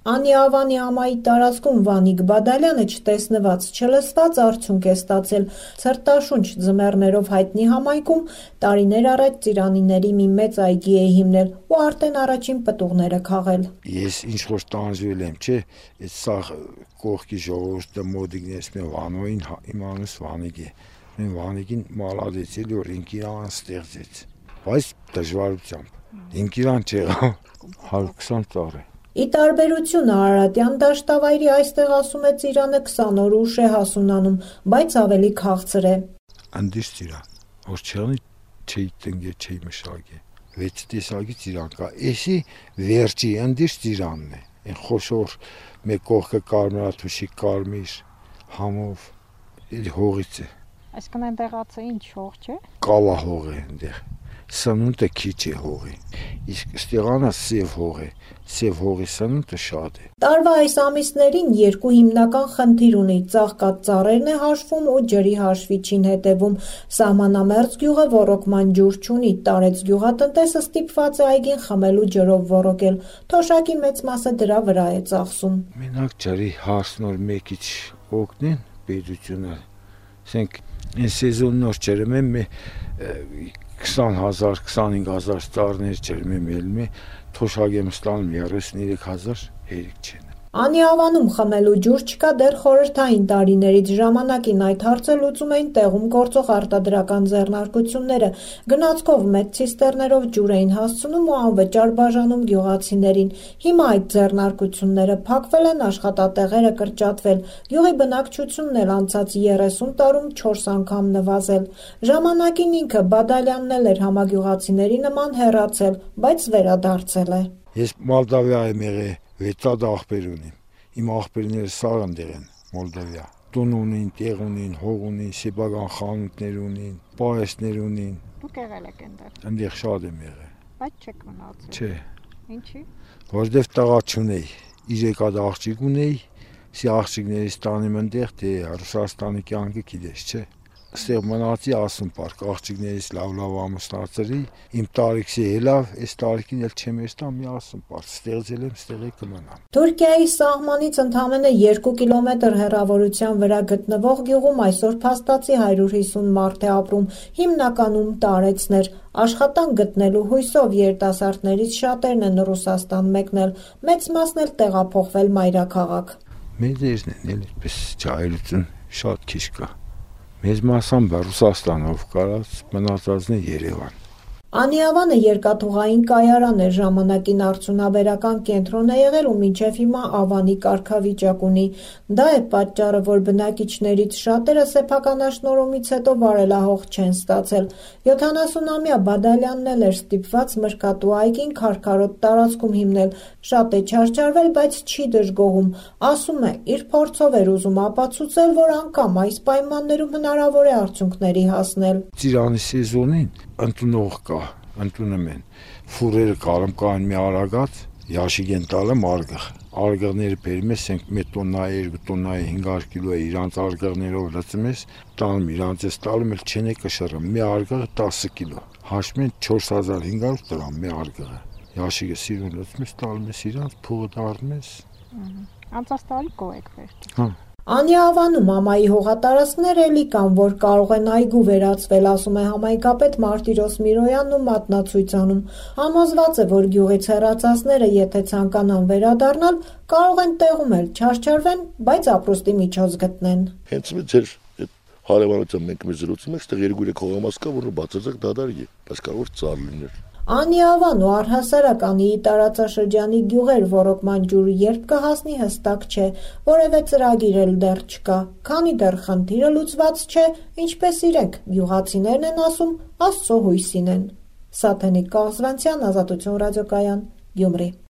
Անի Ավանի ամայի տարածքում Վանիկ Բադալյանը չտեսնված, չլսված արդյունք է ստացել ցրտաշունչ ձմեռներով հայտնի համայնքում տարիներ առաջ ծիրանիների մի մեծ այգի է հիմնել ու արդեն առաջին պտուղները քաղել։ Ես ինչ-որ տանջվել եմ, չէ, այդ սաղ կողքի ժողովուրդը մոդիկնես մե Վանոյին իմ անունս Վանիկ է։ Մեն Վանիկին մալադեց էլի որ ինքիրան ստեղծեց, բայց դժվարությամբ։ Ինքիրան չեղավ 120 տարի։ Ի տարբերություն Արարատյան դաշտավայրի այստեղ ասում է ծիրանը 20 օր ուշ է հասունանում, բայց ավելի քաղցր է։ Անդիշ ծիրան, որ չեղնի չի տնգե, չի մշագե, 6 տեսակի ծիրան կա, էսի վերջի անդիշ ծիրանն է, են խոշոր մեկ կողքը կարմրաթուշի կարմիր համով, էլ հողից է։ Այսքան այնտեղացը ինչ հող չէ։ Կալա հող է այնտեղ, սնունդը քիչ է հողի, իսկ ստեղանը սև հող է, սև հողի սնունդը շատ է։ Տարվա այս ամիսներին երկու հիմնական խնդիր ունի, ծաղկած ծառերն է հաշվում ու ջրի հաշվիչին հետևում։ Սահմանամերձ գյուղը ոռոգման ջուր չունի, Տարեց գյուղատնտեսը ստիպված է այգին խմելու ջրով ոռոգել, թոշակի մեծ մասը դրա վրա է ծախսում։ Մենակ ջրի հարցնոր մեկիչ օգնեն պետությունը, ասենք այս սեզոննոր ջրում եմ 20,000, 25,000 ծառներ ջրում եմ ելում է, թոշակ եմ ստանում 33,000 հերիք չեն։ Անի Ավանում խմելու ջուր չկա դեռ խորհրդային տարիներից, ժամանակին այդ հարցը լուծում էին տեղում գործող արտադրական ձեռնարկությունները, գնացքով մեծ ցիստերներով ջուր էին հասցնում ու անվճար բաժանում գյուղացիներին։ Հիմա այդ ձեռնարկությունները փակվել են, աշխատատեղերը կրճատվել, գյուղի բնակչությունն էլ անցած 30 տարում 4 անգամ նվազել։ Ժամանակին ինքը Բադալյանն էլ էր համագյուղացիների նման հեռացել, բայց վերադարձել է։ Ես Մոլդավիա եմ եղել, 6 աղբեր ունիմ, իմ աղբերները սաղ ընդեղ են Մոլդավիա, տուն ունին, տեղ ունին, հող ունին, սեփական խանութներ ունին, պահեստներ ունին։ Դուք եղել եք այնտեղ։ Այնտեղ շատ եմ եղել։ Բայց չեք մնացել։ Չէ։ Ինչի։ Որտեվ տղա չունեի, 3 հատ աղջիկ ունեի, սի աղջիկներից տանեմ այնտեղ, թե Ռուսաստանի կյանքը գիտես, չէ։ Ստեղ մնացի ասում պարկ, աղջիկներից լավ ամուսնացրի, իմ տարիքսի հելավ, այս տարիքին էլ չեմ եստա մի ասում պարկ, ստեղծել եմ, ստեղ է կմնամ։ Թուրքիայի սահմանից ընդամենը 2 կիլոմետր հեռավորության վրա գտնվող գյուղում այսօր փաստացի 150 մարդ է ապրում, հիմնականում տարեցներ, աշխատանք գտնելու հույսով երիտասարդներից շատերն են Ռուսաստան մեկնել, մեծ մասն էլ տեղափոխվել մայրաքաղաք։ Մեծերն են էլ այդպես ջահելություն շատ քիչ կա։ Մեծ մասամբ Ռուսաստանով կարած մնացածն է Երևան։ Անի Ավանը երկաթուղային կայարան է, ժամանակին արդյունաբերական կենտրոն է եղել ու մինչև հիմա Ավանի կարգավիճակ ունի։ Դա է պատճառը, որ բնակիչներից շատերը սեփականաշնորհումից հետո վարելահող չեն ստացել։ 70-ամյա Բադալյանն էլ էր ստիպված Մրգատու այգին քարքարոտ տարածքում հիմնել, շատ է չարչարվել, բայց չի դժգոհում։ Ասում է, իր փորձով էր ուզում ապացուցել, որ անգամ այս պայմաններում հնարավոր է արդյունքների հասնել։ Ծիրանի սեզոնին ընդունող կա, ընդունում են, ֆուրերը կարում կան մի արագած, յաշիկ են տալեմ արգղ, արգղները բերում ես, մի տոննա է, 2 տոննա է, 500 կիլո է, իրանց արգղներով լծում ես, տանում իրանց ես տալում էլ չեն է կշռում, մի արգղը 10 կիլո, հաշվում են 4500 դրամ մի արգղը, յաշիկը սիրուն լծում ես, տալում ես իրանց, փողը դառնում ես։ Անցած տարի գոհ եք վերջ։ Հա։ Անի Ավանում ամայի հողատարածքներ էլի կան, որ կարող են այգու վերածվել, ասում է համայնքապետ Մարտիրոս Միրոյանն ու մատնացույց անում։ Համոզված է, որ գյուղից հեռացածները, եթե ցանկանան վերադառնալ, կարող են տեղում էլ չարչարվեն, բայց ապրուստի միջոց գտնեն։ Հենց ձեր հարևանությամբ մենք մի զրուցում ենք, այստեղ 2-3 հողամաս կա, որը բացարձակ դադարի է, բայց կարող է ծառ լինել։ Անի Ավան ու առհասարակ Անիի տարածաշրջանի գյուղեր ոռոգման ջուրը երբ կհասնի հստակ չէ, որևէ ծրագիր էլ դեռ չկա, քանի դեռ խնդիրը լուծված չէ, ինչպես իրենք գյուղացիներն են ասում, Աստծո հույսին են։ Սաթենիկ Կաղզվանցյան, Ազատություն ռադիոկայան, Գյումրի։